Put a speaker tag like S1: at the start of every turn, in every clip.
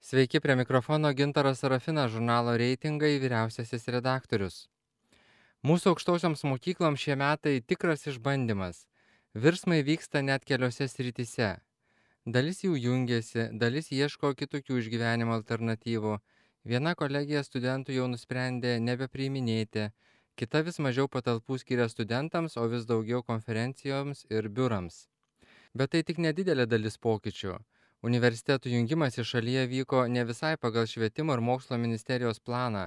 S1: Sveiki, prie mikrofono Gintaras Sarafinas, žurnalo Reitingai vyriausiasis redaktorius. Mūsų aukštosioms mokykloms šie metai tikras išbandymas. Virsmai vyksta net keliose srityse. Dalis jų jungiasi, dalis ieško kitokių išgyvenimo alternatyvų. Viena kolegija studentų jau nusprendė nebepriiminėti, kita vis mažiau patalpų skiria studentams, o vis daugiau konferencijoms ir biurams. Bet tai tik nedidelė dalis pokyčių. Universitetų jungimas į šalyje vyko ne visai pagal švietimo ir mokslo ministerijos planą,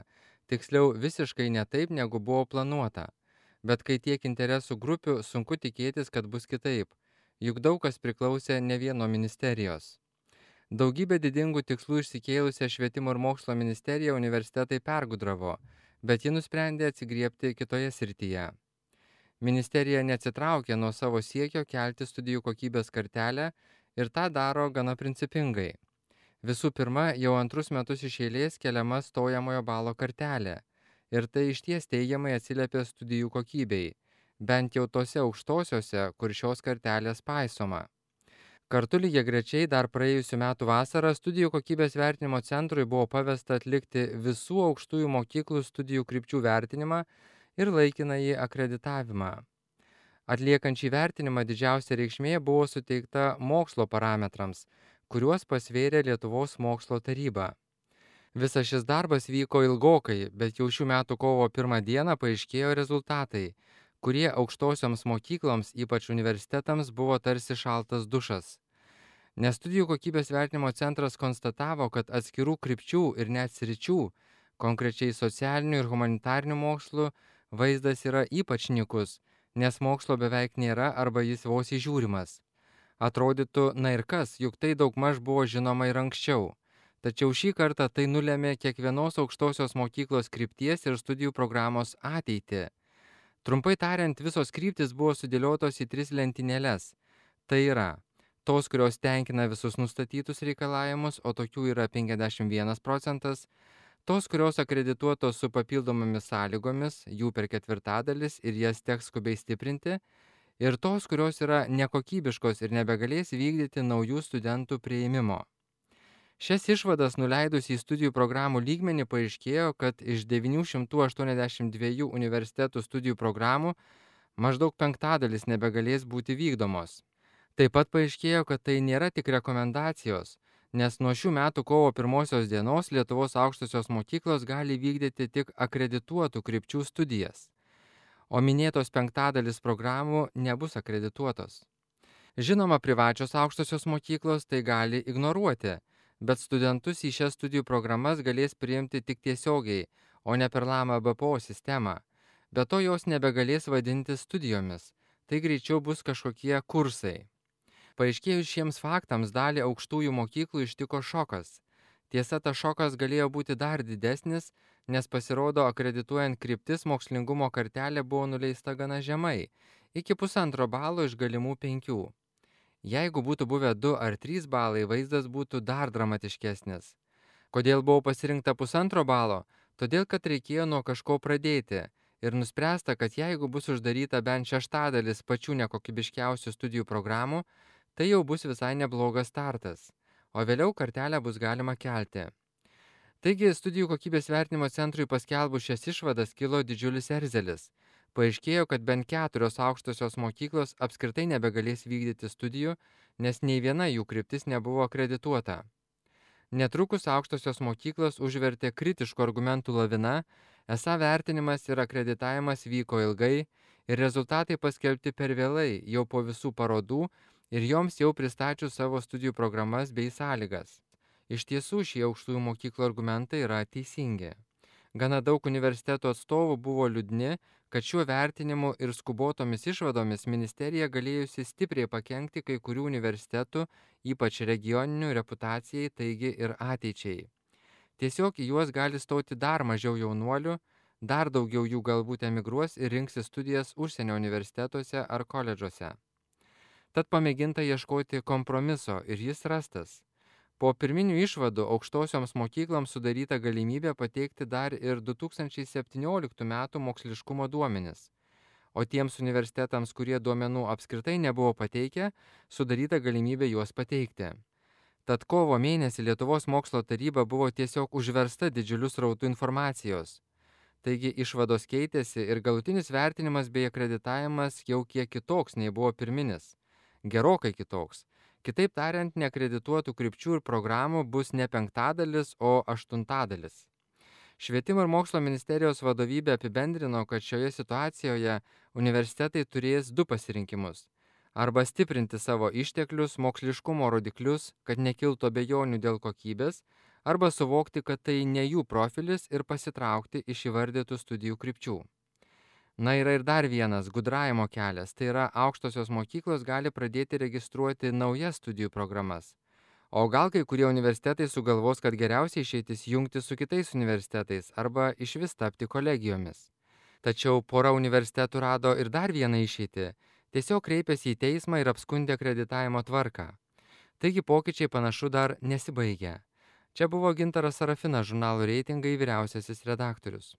S1: tiksliau visiškai ne taip, negu buvo planuota. Bet kai tiek interesų grupių, sunku tikėtis, kad bus kitaip, juk daug kas priklausė ne vieno ministerijos. Daugybė didingų tikslų išsikėlusią švietimo ir mokslo ministeriją universitetai pergudravo, bet ji nusprendė atsigriebti kitoje srityje. Ministerija neatsitraukė nuo savo siekio kelti studijų kokybės kartelę ir tą daro gana principingai. Visų pirma, jau antrus metus iš eilės keliama stojamojo balo kartelė ir tai išties teigiamai atsiliepia studijų kokybei, bent jau tose aukštosiose, kur šios kartelės paisoma. Kartu lygiagrečiai dar praėjusiu metu vasarą studijų kokybės vertinimo centrui buvo pavesta atlikti visų aukštųjų mokyklų studijų krypčių vertinimą ir laikinąjį akreditavimą. Atliekant šį vertinimą didžiausia reikšmė buvo suteikta mokslo parametrams, kuriuos pasvėrė Lietuvos mokslo taryba. Visas šis darbas vyko ilgokai, bet jau šių metų kovo 1 dieną paaiškėjo rezultatai, kurie aukštosioms mokykloms, ypač universitetams, buvo tarsi šaltas dušas. Nes studijų kokybės vertinimo centras konstatavo, kad atskirų krypčių ir net sričių, konkrečiai socialinių ir humanitarinių mokslų, vaizdas yra ypač nykus, nes mokslo beveik nėra arba jis vos įžiūrimas. Atrodytų, na ir kas, juk tai daugmaž buvo žinoma ir anksčiau. Tačiau šį kartą tai nulėmė kiekvienos aukštosios mokyklos krypties ir studijų programos ateitį. Trumpai tariant, visos kryptis buvo sudėliotos į 3 lentynėles. Tai yra tos, kurios tenkina visus nustatytus reikalavimus, o tokių yra 51 procentas, tos, kurios akredituotos su papildomomis sąlygomis, jų per ketvirtadalis ir jas teks skubiai stiprinti, ir tos, kurios yra nekokybiškos ir nebegalės vykdyti naujų studentų priėmimo. Šias išvadas nuleidus į studijų programų lygmenį paaiškėjo, kad iš 982 universitetų studijų programų maždaug 1/5 nebegalės būti vykdomos. Taip pat paaiškėjo, kad tai nėra tik rekomendacijos, nes nuo šių metų kovo 1 dienos Lietuvos aukštosios mokyklos gali vykdyti tik akredituotų krypčių studijas, o minėtos 1/5 programų nebus akredituotos. Žinoma, privačios aukštosios mokyklos tai gali ignoruoti, bet studentus į šias studijų programas galės priimti tik tiesiogiai, o ne per LAMA BPO sistemą. Be to jos nebegalės vadinti studijomis, tai greičiau bus kažkokie kursai. Paaiškėjus šiems faktams dalį aukštųjų mokyklų ištiko šokas. Tiesa, tas šokas galėjo būti dar didesnis, nes pasirodo akredituojant kryptis mokslingumo kartelė buvo nuleista gana žemai, iki 1,5 balo iš galimų 5. Jeigu būtų buvę 2 ar 3 balai, vaizdas būtų dar dramatiškesnis. Kodėl buvo pasirinkta 1,5 balo? Todėl, kad reikėjo nuo kažko pradėti ir nuspręsta, kad jeigu bus uždaryta bent 1/6 pačių nekokybiškiausių studijų programų, tai jau bus visai neblogas startas, o vėliau kartelę bus galima kelti. Taigi, studijų kokybės vertinimo centrui paskelbus šias išvadas kilo didžiulis erzelis. Paaiškėjo, kad bent 4 aukštosios mokyklos apskritai nebegalės vykdyti studijų, nes nei viena jų kryptis nebuvo akredituota. Netrukus aukštosios mokyklos užvertė kritiškų argumentų lavina, esą vertinimas ir akreditavimas vyko ilgai ir rezultatai paskelbti per vėlai, jau po visų parodų ir joms jau pristačius savo studijų programas bei sąlygas. Iš tiesų šie aukštųjų mokyklų argumentai yra teisingi. Gana daug universitetų atstovų buvo liūdni, kad šiuo vertinimu ir skubotomis išvadomis ministerija galėjusi stipriai pakenkti kai kurių universitetų, ypač regioninių, reputacijai, taigi ir ateičiai. Tiesiog į juos gali stoti dar mažiau jaunuolių, dar daugiau jų galbūt emigruos ir rinksis studijas užsienio universitetuose ar koledžuose. Tad pamėginta ieškoti kompromiso ir jis rastas. Po pirminių išvadų aukštosioms mokykloms sudaryta galimybė pateikti dar ir 2017 metų moksliškumo duomenis, o tiems universitetams, kurie duomenų apskritai nebuvo pateikę, sudaryta galimybė juos pateikti. Tad kovo mėnesį Lietuvos mokslo taryba buvo tiesiog užversta didžiuliu srautu informacijos. Taigi išvados keitėsi ir galutinis vertinimas bei akreditavimas jau kiek kitoks nei buvo pirminis. Gerokai kitoks. Kitaip tariant, neakredituotų krypčių ir programų bus ne 1/5, o 1/8. Švietimo ir mokslo ministerijos vadovybė apibendrino, kad šioje situacijoje universitetai turės du pasirinkimus. Arba stiprinti savo išteklius, moksliškumo rodiklius, kad nekiltų abejonių dėl kokybės, arba suvokti, kad tai ne jų profilis ir pasitraukti iš įvardytų studijų krypčių. Na, yra ir dar vienas gudravimo kelias, tai yra aukštosios mokyklos gali pradėti registruoti naujas studijų programas. O gal kai kurie universitetai sugalvos, kad geriausiai išeitis jungti su kitais universitetais arba išvis tapti kolegijomis. Tačiau pora universitetų rado ir dar vieną išeitį. Tiesiog kreipėsi į teismą ir apskundė akreditavimo tvarką. Taigi pokyčiai panašu dar nesibaigia. Čia buvo Gintaras Sarafinas, žurnalo Reitingai vyriausiasis redaktorius.